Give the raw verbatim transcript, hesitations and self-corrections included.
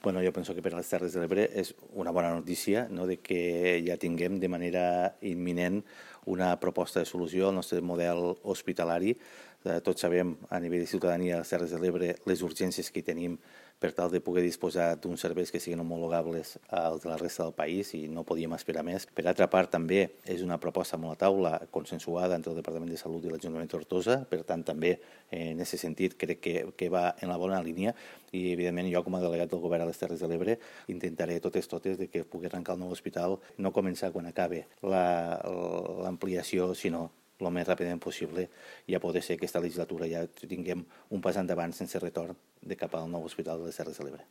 Bueno, jo penso que per a les Terres de l'Ebre és una bona notícia, no?, de que ja tinguem de manera imminent una proposta de solució al nostre model hospitalari. Eh, tots sabem, a nivell de ciutadania, a les Terres de l'Ebre, les urgències que tenim per tal de poder disposar d'uns serveis que siguin homologables als de la resta del país i no podíem esperar més. Per altra part, també és una proposta molt a taula, consensuada entre el Departament de Salut i l'Ajuntament de Tortosa, per tant, també eh, en aquest sentit crec que, que va en la bona línia i, evidentment, jo com a delegat del Govern a les Terres de l'Ebre intentaré totes totes de que pugui arrencar el nou hospital, no començar quan acabe l'ampliació, sinó el més ràpidament possible, ja poder ser que aquesta legislatura ja tinguem un pas endavant sense retorn de cap al nou hospital de les Terres de l'Ebre.